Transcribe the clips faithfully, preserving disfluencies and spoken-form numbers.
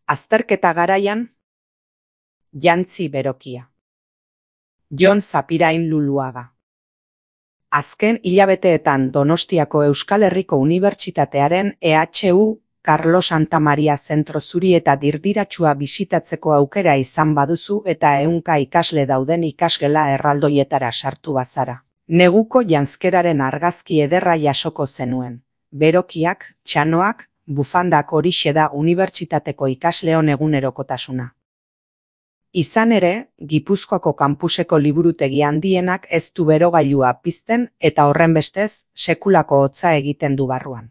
Azterketa garaian, jantzi berokia. Jon Zapirain Luluaga. Azken hilabeteetan Donostiako Euskal Herriko Unibertsitatearen E H U Carlos Santamaria zentro zuri eta dirdiratsua bisitatzeko aukera izan baduzu eta ehunka ikasle dauden ikasgela erraldoietara sartu bazara. Neguko janzkeraren argazki ederra jasoko zenuen. Berokiak, txanoak, bufandak horixe da unibertsitateko ikasleon egunerokotasuna. Izan ere, Gipuzkoako kampuseko liburutegi handienak ez du berogailua pizten eta horrenbestez sekulako hotza egiten du barruan.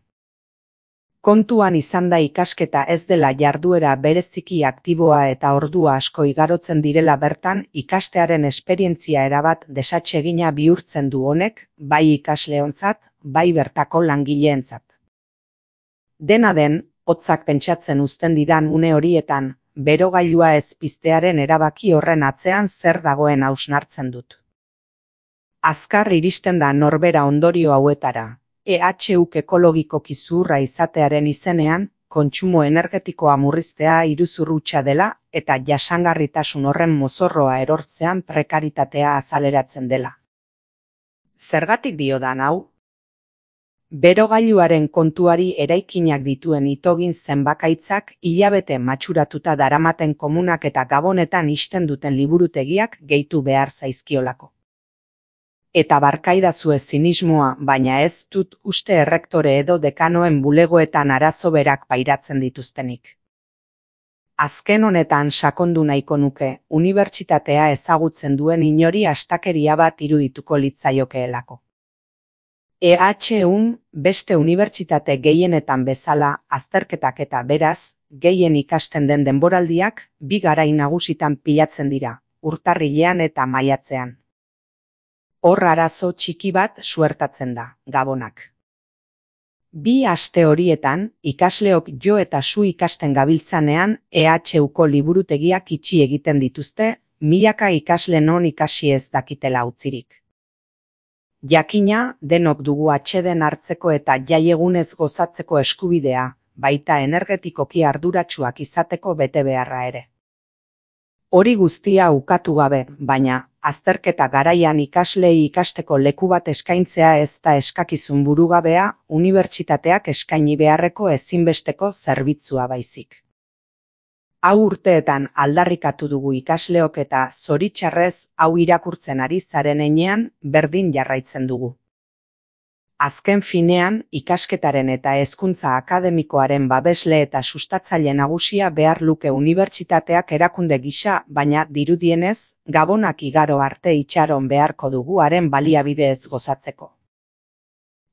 Kontuan izan da ikasketa ez dela jarduera bereziki aktiboa eta ordua asko igarotzen direla bertan ikastearen esperientzia erabat desatsegina bihurtzen du honek, bai ikasleontzat, bai bertako langileentzat. Dena den, hotzak pentsatzen uzten didan une horietan, berogailua ez piztearen erabaki horren atzean zer dagoen hausnartzen dut. Azkar iristen da norbera ondorio hauetara. E H U ekologikoki zuhurra izatearen izenean, kontsumo energetikoa murriztea iruzur hutsa dela eta jasangarritasun horren mozorroa erortzean prekaritatea azaleratzen dela. Zergatik diodan hau? Berogailuaren kontuari eraikinak dituen itogin zenbakaitzak hilabete matxuratuta daramaten komunak eta gabonetan ixten duten liburutegiak gehitu behar zaizkiolako. Eta barkaidazue zinismoa, baina ez dut uste errektore edo dekanoen bulegoetan arazo berak pairatzen dituztenik. Azken honetan sakondu nahiko nuke, unibertsitatea ezagutzen duen inori astakeria bat irudituko litzaiokeelako. E H Un beste unibertsitate gehienetan bezala azterketak eta beraz, gehien ikasten den denboraldiak bi garai nagusitan pilatzen dira, urtarrilean eta maiatzean. Hor arazo txiki bat suertatzen da, gabonak. Bi aste horietan, ikasleok jo eta zu ikasten gabiltzanean E H Uko liburutegiak itxi egiten dituzte, milaka ikasle non ikasi ez dakitela utzirik. Jakina, denok dugu atseden hartzeko eta jaiegunez gozatzeko eskubidea, baita energetikoki arduratsuak izateko bete beharra ere. Hori guztia ukatu gabe, baina, azterketa garaian ikaslei ikasteko leku bat eskaintzea ez da eskakizun burugabea, unibertsitateak eskaini beharreko ezinbesteko zerbitzua baizik. Hau urteetan aldarrikatu dugu ikasleok eta zoritxarrez hau irakurtzen ari zaren heinean berdin jarraitzen dugu. Azken finean, ikasketaren eta hezkuntza akademikoaren babesle eta sustatzaile nagusia behar luke unibertsitateak erakunde gisa, baina dirudienez, gabonak igaro arte itxaron beharko dugu haren baliabide ez gozatzeko.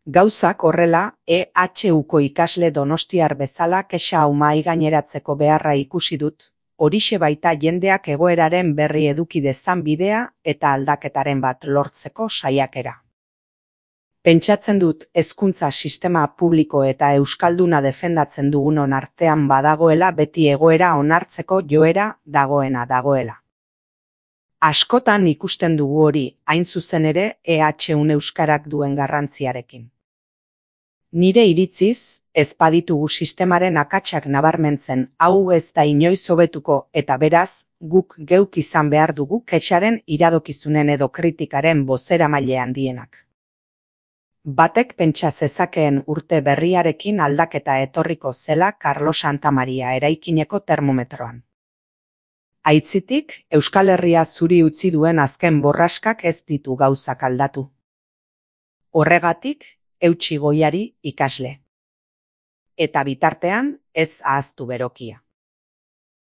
Gauzak horrela, E H Uko ikasle donostiar bezala kexa hau mahai gaineratzeko beharra ikusi dut, horixe baita jendeak egoeraren berri eduki dezan bidea eta aldaketaren bat lortzeko saiakera. Pentsatzen dut hezkuntza sistema publiko eta euskalduna defendatzen dugunon artean badagoela beti egoera onartzeko joera dagoena dagoela. Askotan ikusten dugu hori, hain zuzen ere E H Un euskarak duen garrantziarekin. Nire iritziz, ez baditugu sistemaren akatsak nabarmentzen, hau ez da inoiz hobetuko eta beraz, guk geuk izan behar dugu kexaren iradokizunen edo kritikaren bozeramaile handienak. Batek pentsa zezakeen urte berriarekin aldaketa etorriko zela Carlos Santamaria eraikineko termometroan. Aitzitik, Euskal Herria zuri utzi duen azken borraskak ez ditu gauzak aldatu. Horregatik, eutsi goiari ikasle. Eta bitartean, ez ahaztu berokia.